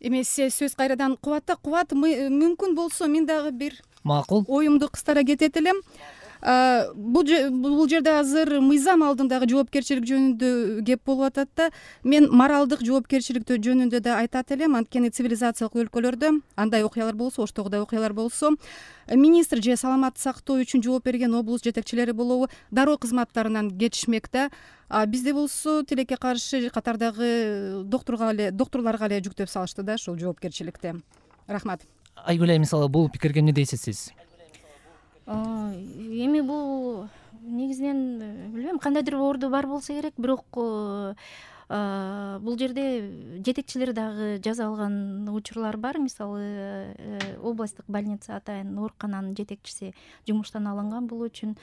Эми сөз кайрадан Кубатта. Кубат, мүмкүн болсо мен дагы бир макул оюмду кыстара кетет элем. Бул жерде азыр мыйзам алдындагы жоопкерчилик жөнүндө кеп болуп атат да. Мен моралдык жоопкерчилик жөнүндө да айтат элем. Анткени цивилизациялык өлкөлөрдө андай окуялар болсо, оштогудай окуялар болсо, министр же саламатты сактоо үчүн жооп берген облус жетекчилери болобу дароо кызматтарынан кетишмек да. Бизде болсо тилекке каршы катардагы доктурларга эле жүктөп салышты да ушул жоопкерчиликти. Рахмат. Айгүл айым, мисалы бул пикирге эмне дейсиз сиз? Эми бул негизинен билбейм, кандайдыр орду бар болсо керек, бирок бул жерде жетекчилер дагы жаза алган учурлар бар. Мисалы областтык больница атайын оорукананын жетекчиси жумуштан алынган бул үчүн,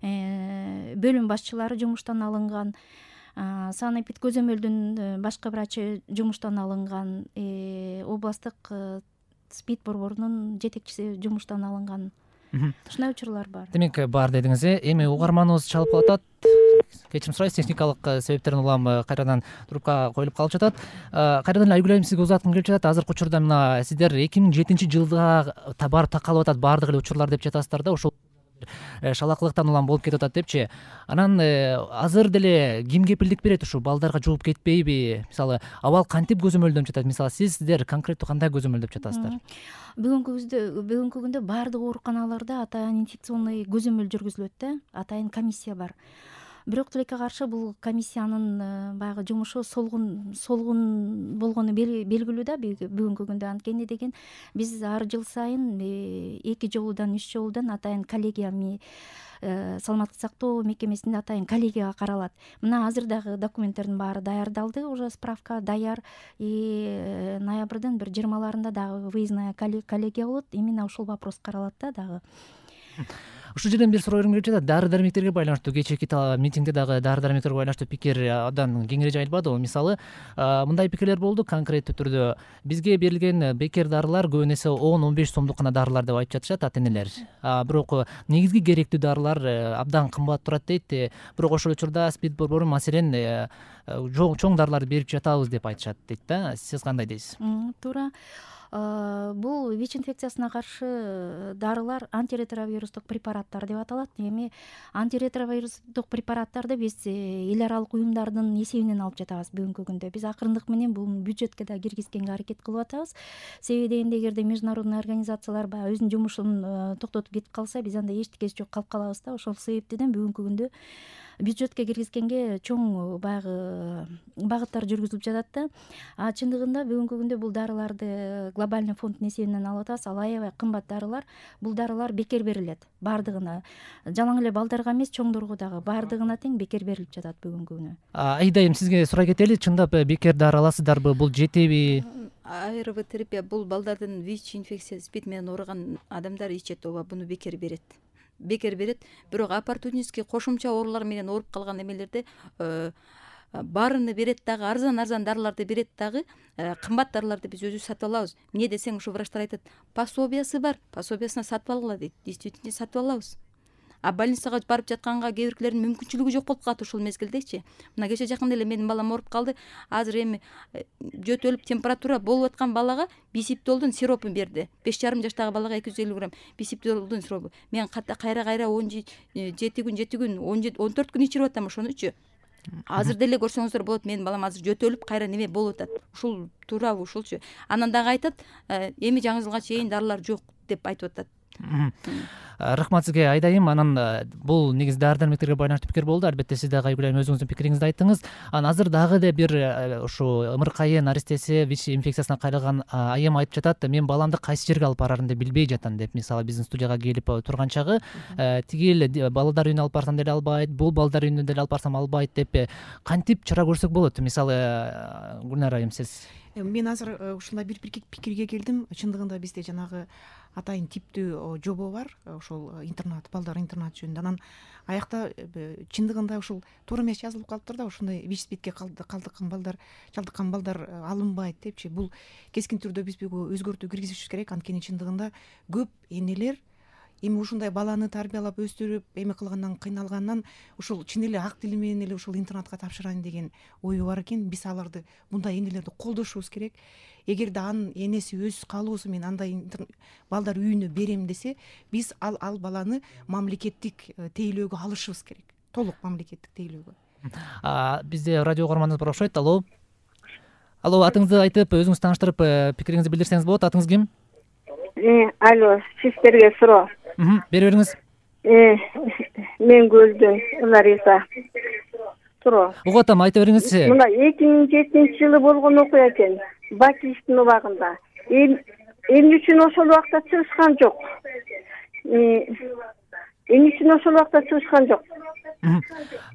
бөлүм башчылары жумуштан алынган, санэпид көзөмөлдүн башкы врачы жумуштан алынган, областтык СПИД борборунун жетекчиси жумуштан алынган. Ушундай учурлар бар. Демек бар дедиңиз. Эми угарманыбыз чалып калып атат. Кечирим сурайбыз, техникалык себептерден улам кайрадан трубка коюлуп калып жатат. Кайрадан эле Айгүл айым, сизге узаткым келип жатат. Азыркы учурда мына сиздер 2007-жылга барып такалып атат баардык эле учурлар деп жатасыздар да, ошол шалакылыктан улам болуп кетип атат депчи. Анан азыр деле ким кепилдик берет ушу балдарга жууп кетпейби? Мисалы, абал кантип көзөмөлдөнүп жатат? Мисалы, сиздер конкреттүү кандай көзөмөлдөп жатасыздар? Бүгүнкү күндө баардык ооруканаларда атайын инфекционный көзөмөл жүргүзүлөт да, атайын комиссия бар. Бирок тилекке каршы бул комиссиянын баягы жумушу солгун болгону белгилүү да бүгүнкү күндө. Анткени деген биз ар жыл сайын 2 жолудан 3 жолудан атайын коллегия саламаттык сактоо мекемесинде атайын коллегияга каралат. Мына азыр дагы документтердин баары даярдалды, уже справка даяр. Ноябрдын бир 20-ларында дагы выездная коллегия болот. Именно ушул вопрос каралат да дагы. Ушул жерден бир суроо келип жатат. Дары-дармектерге байланыштуу кечээки митингде дагы дары-дармектерге байланыштуу пикир абдан кеңири жайылбадыбы? Мисалы, мындай пикирлер болду конкреттүү түрдө. Бизге берилген бекер дарылар көбүн эсе 10-15 сомдук гана дарылар деп айтып жатышат ата-энелер. Бирок негизги керектүү дарылар абдан кымбат турат дейт. Бирок ошол учурда СПИД борбору маселен чоң дарыларды берип жатабыз деп айтышат дейт да. Сиз кандай дейсиз? Туура. Бул ВИЧ инфекциясына каршы дарылар антиретровирустук препараттар деп аталат. Эми антиретровирустук препараттарды биз эл аралык уюмдардын эсебинен алып жатабыз бүгүнкү күндө. Биз акырындык менен бул бюджетке да киргизгенге аракет кылып атабыз. Себеби дегенде эгерде международный организациялар баягы өзүнүн жумушун токтотуп кетип калса, биз анда эчтекеси жок калып калабыз да. Ошол себептен бүгүнкү күндө бюджетке киргизгенге чоң баягы багыттар жүргүзүлүп жатат да. Чындыгында бүгүнкү күндө бул дарыларды глобальный фонддун эсебинен алып атабыз. Ал аябай кымбат дарылар. Бул дарылар бекер берилет баардыгына. Жалаң эле балдарга эмес, чоңдорго дагы баардыгына тең бекер берилип жатат бүгүнкү күнү. Айдайым, сизге сурай кетели. Чындап бекер дары аласыздарбы? Бул жетеби? АРВ терапия бул балдардын ВИЧ инфекциясы СПИД менен ооруган адамдар ичет, ооба буну бекер берет. Бирок оппортунистский кошумча оорулар менен ооруп калган эмелерде баарыны берет дагы, арзан дарыларды берет дагы, кымбат дарыларды биз өзүбүз сатып алабыз. Эмне десең, ушу врачтар айтат, пособиясы бар, пособиясына сатып алгыла дейт. Действительно сатып алабыз. Больницага барып жатканга кээ биркилердин мүмкүнчүлүгү жок болуп калат ушул мезгилдечи. Мына кече жакында эле менин балам ооруп калды. Азыр эми жөтөлүп температура болуп аткан балага бисиптолдун сиропун берди. 5,5 жаштагы балага 250 грамм бисиптолдун сиропу. Мен кайра 17 күн, 14 күн ичирип атам ошонучу. Азыр деле көрсөңүздөр болот, менин балам азыр жөтөлүп кайра неме болуп атат. Ушул туурабы ушулчу. Анан дагы айтат, эми жаңы жылга чейин дарылар жок деп айтып атат. Рахмат сизге, Айдайым. Анан бул негизи дары-дармектерге байланыштуу пикир болду. Албетте сиз дагы Айгүл айым өзүңүздүн пикириңизди айттыңыз. Анан азыр дагы да бир ушу ымыркайы наристеси ВИЧ инфекциясына кайрылган айым айтып жатат, мен баламды кайсы жерге алып барарымды билбей жатам деп. Мисалы, биздин студияга келип турган чагы тигил балдар үйүнө алып барсам деле албайт, бул балдар үйүнө деле алып барсам албайт деп кантип чара көрсөк болот? Мисалы, Гүлнар айым, сиз? Мен азыр ушундай бир пикирге келдим. Чындыгында бизде жанагы атайын типтүү жобо бар, ошол интернат, балдар интернат жөнүндө. Анан аякта чындыгында ушул туура эмес жазылып калыптыр да, ушундай ВИЧ СПИДке чалдыккан балдар алынбайт депчи. Бул кескин түрдө биз буга өзгөртүү киргизишибиз керек. Анткени чындыгында көп энелер эми ушундай баланы тарбиялап өстүрүп эме кылгандан кыйналгандан ушул чын эле ак тили менен эле ушул интернатка тапшырайын деген ою бар экен. Биз аларды, мындай энелерди колдошубуз керек. Эгерде анын энеси өз каалоосу менен андай балдар үйүнө берем десе, биз ал баланы мамлекеттик тейлөөгө алышыбыз керек. Толук мамлекеттик тейлөөгө. Бизде радио угарманыбыз бар окшойт. Алло, атыңызды айтып, өзүңүздү тааныштырып, пикириңизди билдирсеңиз болот. Атыңыз ким? Алло, сиздерге суроо. Бере бериңиз. Мен Гөлдөн Лариса. Суроо. Угуп атам, айта бериңизчи. Мына 2007-жылы болгон окуя экен. Бакиштин убагында. Эмне үчүн ошол убакта чыгышкан жок?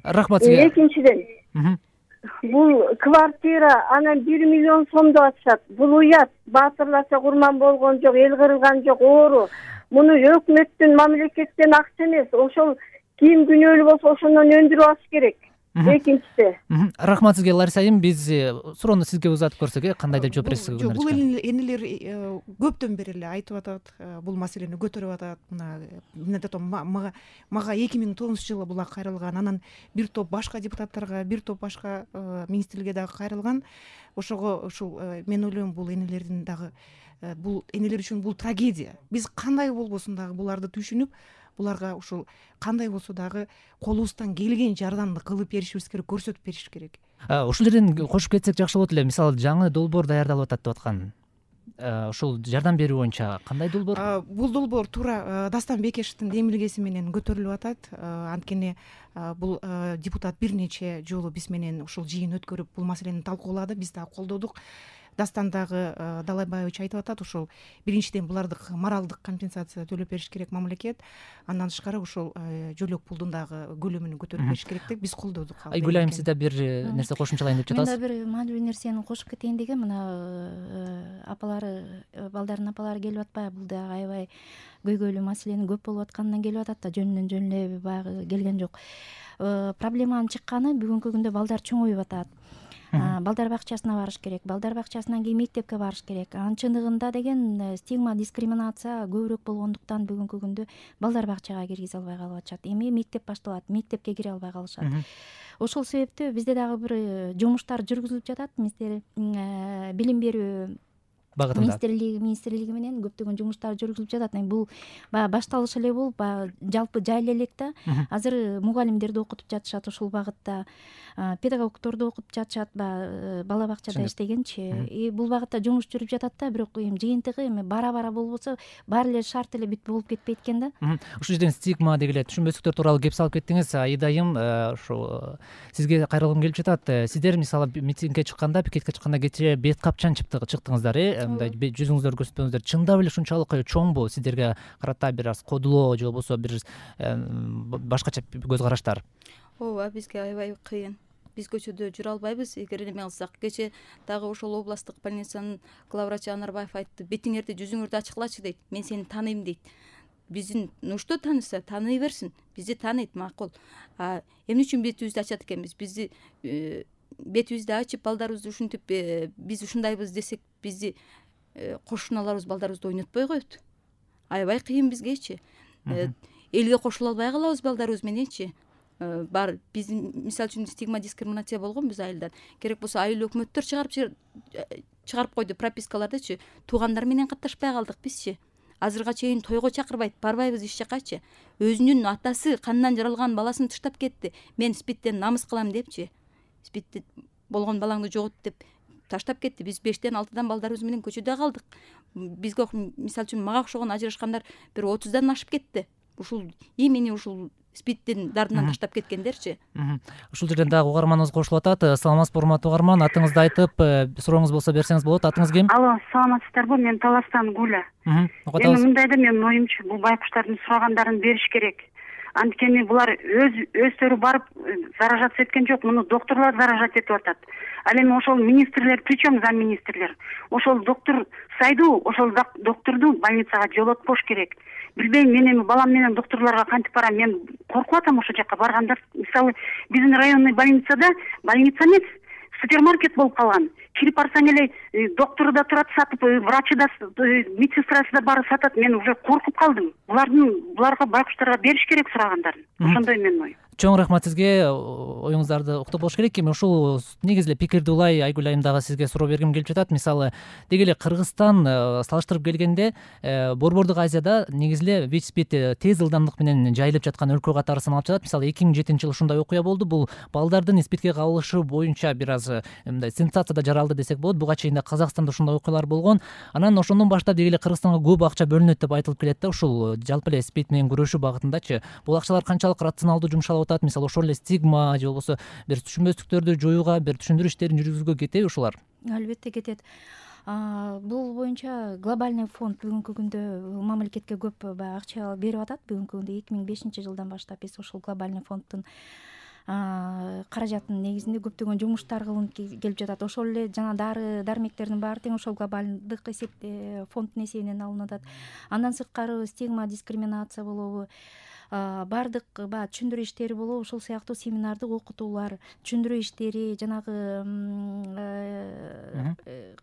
Рахмат сизге. Экинчиден, бул квартира анан 1 миллион сомдоп атышат. Бул уят. Баатырларча курман болгон жок, эл кырылган жок, оору. Муну өкмөттүн, мамлекеттен акча эмес. Ошол ким күнөөлүү болсо ошондон өндүрүп алыш керек. Экинчиде. Рахмат сизге, Лариса айым. Биз суроону сизге узатып көрсөк, кандай деп жооп бересиз? Жок, бул энелер көптөн бери эле айтып атат, бул маселени көтөрүп атат. Мына мага 2009-жылы була кайрылган, анан бир топ башка депутаттарга, бир топ башка министрликке дагы кайрылган. Ошого ушул мен ойлойм, бул энелердин дагы, бул энелер үчүн бул трагедия. Биз кандай болбосун дагы буларды түшүнүп, буларга ушул кандай болсо дагы колубуздан келген жардамды кылып беришибиз керек, көрсөтүп бериш керек. Ушул жерден кошуп кетсек жакшы болот эле. Мисалы, жаңы долбоор даярдалып атат деп аткан. Ушул жардам берүү боюнча кандай долбоор? Бул долбоор туура Дастан Бекешевдин демилгеси менен көтөрүлүп атат. Анткени бул депутат бир нече жолу биз менен ушул жыйын өткөрүп бул маселени талкуулады, биз дагы колдодук. Дастан дагы Далайбаевич айтып атат, ушул биринчиден буларды моралдык компенсация төлөп бериш керек мамлекет. Андан тышкары ушул жөлөк пулдун дагы көлөмүн көтөрүп бериш керек деп биз колдодук. Айгүл айым, сиз да бир нерсе кошумчалайын деп жатасыз? Мен да бир маанилүү нерсени кошуп кетейин дегем. Мына апалары, балдардын апалары келип атпайбы? Бул да аябай көйгөйлүү маселени көп болуп атканынан келип атат да, жөн эле баягы келген жок. Проблеманын чыкканы бүгүнкү күндө балдар чоңоюп атат. Балдар бакчасына барыш керек, балдар бакчасынан кийин мектепке барыш керек. Анын чындыгында деген стигма, дискриминация көбүрөөк болгондуктан бүгүнкү күндө балдар бакчага киргизе албай калып атышат. Эми мектеп башталат, мектепке кире албай калышат. Ошол себептүү бизде дагы бир жумуштар жүргүзүлүп жатат. Билим берүү багытында министрлиги менен көптөгөн жумуштар жүргүзүлүп жатат. Бул баягы башталыш эле болуп, баягы жалпы жайла элек да. Азыр мугалимдерди окутуп жатышат ушул багытта, педагогдорду окутуп жатышат, бала бакчада иштегенчи. Бул багытта жумуш жүрүп жатат да, бирок жыйынтыгы эми бара-бара болбосо баары эле шарт эле бүт болуп кетпейт экен да. Ушул жерден стигма деги эле түшүнбөстүктөр тууралуу кеп салып кеттиңиз. Айдайым, ушу сизге кайрылгым келип жатат. Сиздер мисалы митингге чыкканда, пикетке чыкканда кечээ бет капчан чыктыңыздар, мындай жүзүңүздөрдү көрсөтпөңүздөр. Чындап эле ушунчалык чоңбу сиздерге карата бир аз кодулоо же болбосо бир башкача көз караштар? Ооба, бизге аябай кыйын. Биз көчөдө жүрө албайбыз. Эгер эме кылсак, кече дагы ошол областтык больницанын главврачы Анарбаев айтты, бетиңерди, жүзүңөрдү ачыклачы дейт. Мен сени тааныйм дейт. Биздин нушто тааныса, тааный берсин. Бизди тааныйт, макул. Эмне үчүн бетибизди ачат экенбиз? Бизди бетибизди ачып, балдарыбызды ушинтип, биз ушундайбыз десек, бизди кошуналарыбыз балдарыбызды ойнотпой коет. Аябай кыйын бизгечи. Элге кошула албай калабыз балдарыбыз мененчи. Бар биздин мисалы үчүн стигма, дискриминация болгон биз айылдан. Керек болсо айыл өкмөттөр чыгарып койду пропискалардычы. Туугандар менен катташпай калдык бизчи. Азырга чейин тойго чакырбайт, барбайбыз иш жакачы. Өзүнүн атасы кандан жаралган баласын тыштап кетти. Мен спидтен намыс кылам депчи. Спидти болгон балаңды жогот деп таштап кетти. Биз 5-тен 6-дан балдарыбыз менен көчөдө калдык. Бизге мисалы үчүн мага окшогон ажырашкандар бир 30-дан ашып кетти. Ушул эмени ушул спидтин дардынан таштап кеткендерчи. Ушул жерден дагы угарманыбыз кошулуп атат. Саламатсызбы, урматтуу угарман? Атыңызды айтып, сурооңуз болсо берсеңиз болот. Атыңыз ким? Алло, саламатсыздарбы? Мен Таластан Гуля. Эми мындай да, менин оюмчу, бул байкуштардын сурагандарын бериш керек. Анткени булар өздөрү барып заражаться эткен жок, муну докторлор заражать этип атат. Ал эми ошол министрлер, причем замминистрлер, ошол доктор сайдуу, ошол докторду больницага жолотпош керек. Билбейм, мен эми балам менен докторлорго кантип барам, мен коркуп атам ошол жака барганда. Мисалы, биздин районный больницада, больница эмес, супермаркет болуп калган. Кирип барсаң эле доктору да турат сатып, врачы да, медсестрасы да баары сатат. Мен уже коркуп калдым. Буларга байкуштарга бериш керек сурагандарын. Ошондой менин оюм. Чоң рахмат сизге, оюңуздарды уктуп болуш керек. Эми ушул негизи эле пикирди улай Айгүл айым дагы сизге суроо бергим келип жатат. Мисалы, деги эле Кыргызстан салыштырып келгенде Борбордук Азияда негизи эле ВИЧ-СПИД тез ылдамдык менен жайылып жаткан өлкө катары саналып жатат. Мисалы 2007-жылы ушундай окуя болду. Бул балдардын СПИДке кабылышы боюнча бир аз мындай сенсацияда жаралды десек болот. Буга чейин да Казакстанда ушундай окуялар болгон. Анан ошондон баштап деги эле Кыргызстанга көп акча бөлүнөт деп айтылып келет да. Ушул жалпы эле СПИД менен күрөшүү багытындачы бул акчалар канчалык рационалдуу жумшалып атат? Мисалы ошол эле стигма же болбосо бир түшүнбөстүктөрдү жоюуга, бир түшүндүрүү иштерин жүргүзүүгө кетеби ушулар? Албетте кетет. Бул боюнча глобальный фонд бүгүнкү күндө мамлекетке көп баягы акча берип атат. Бүгүнкү күндө 2005-жылдан баштап биз ошол глобальный фонддун каражатынын негизинде көптөгөн жумуштар кылынып келип жатат. Ошол эле жана дары дармектердин баары тең ошол глобалдык фонддун эсебинен алынып атат. Андан сырткары стигма, дискриминация болобу, баардык баягы түшүндүрүү иштери болобу, ошол сыяктуу семинардык окутуулар, түшүндүрүү иштери, жанагы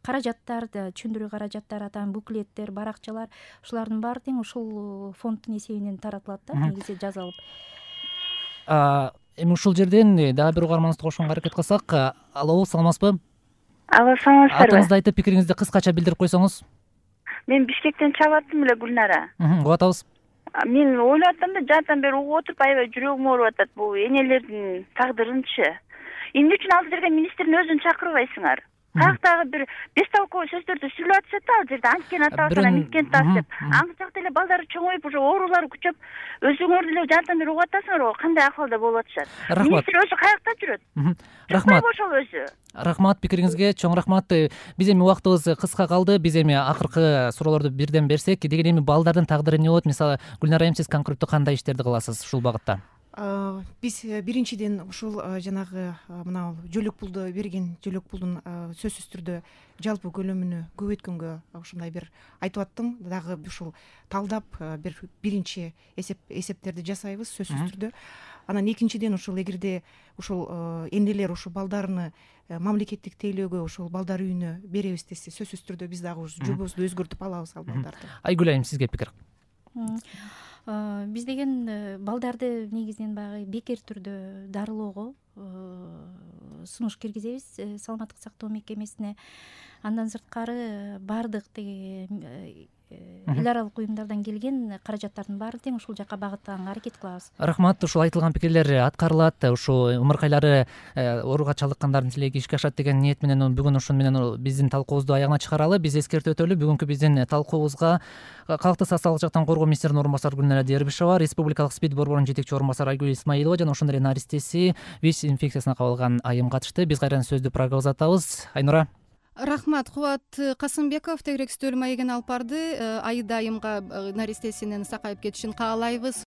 каражаттар, түшүндүрүү каражаттары, атайын буклеттер, баракчалар, ушулардын баары тең ушул фонддун эсебинен таратылат да, негизи жазалып. Эми ушул жерден дагы бир угарманыбызды кошконго аракет кылсак. Алло, саламатсызбы? Алло, саламатсыздарбы? Атыңызды айтып, пикириңизди кыскача билдирип койсоңуз. Мен Бишкектен чалып аттым эле, Гүлнара. Угуп атабыз. Мен ойлоп аттым да, жаатан бери угуп отуруп, аябай жүрөгүм ооруп атат. Бул энелердин тагдырынчы. Эмне үчүн ал жерге министрдин өзүн чакырбайсыңар? Каяктагы бир бестолковый сөздөрдү сүйлөп атышат ал жерде, анткен атабыз, миткен тас деп. Аңчы жакта эле балдары чоңоюп, уже оорулары күчөп, өзүңөр деле жаатан бери угуп атасыңар го, кандай акыбалда болуп атышат. Министр өзү каякта жүрөт? Рахмат. Ошол өзү. Рахмат пикириңизге, чоң рахмат. Биз эми убактыбыз кыска калды. Биз эми акыркы суроолорду бирден берсек, деген эми балдардын тагдыры эмне болот? Мисалы, Гүлнара айым, сиз конкреттүү кандай иштерди кыласыз ушул багытта? Биз биринчиден ушул жанагы мына жөлөк пулду берген жөлөк пулдун сөзсүз түрдө жалпы көлөмүнө көбөйткөнгө ушундай бир айтып аттым. Дагы ушул талдап биринчи эсептерди жасайбыз сөзсүз түрдө. Анан экинчиден ушул эгерде ушул энелер ушул балдарыны мамлекеттик тейлөөгө ушул балдар үйүнө беребиз десе, сөзсүз түрдө биз дагы жобобузду өзгөртүп алабыз ал балдарды. Айгүл айым, сизге пикир? Биз деген балдарды негизинен баягы бекер түрдө дарылоого сунуш киргизебиз саламаттык сактоо мекемесине. Андан сырткары баардык эл аралык уюмдардан келген каражаттардын баары тең ушул жака багыттаганга аракет кылабыз. Рахмат, ушул айтылган пикирлер аткарылат. Ушу умуркайлары ооруга чалдыккандардын тилеги ишке ашат деген ниет менен бүгүн ошону менен биздин талкуубузду аягына чыгаралы. Биз эскертип өтөлү, бүгүнкү биздин талкуубузга Калктык социалдык жактан коргоо министринин орун басары Гүлнара Дербишева, Республикалык СПИД борборунун жетекчи орун басары Айгүл Исмаилова жана ошондой эле наристеси ВИЧ инфекциясына кабылган айым катышты. Биз кайрадан сөздү программага узатабыз. Айнура. Рахмат. Кубат Касымбеков тегерек стөл маегин алып барды. Айда айымга наристесинин сакайып кетишин каалайбыз.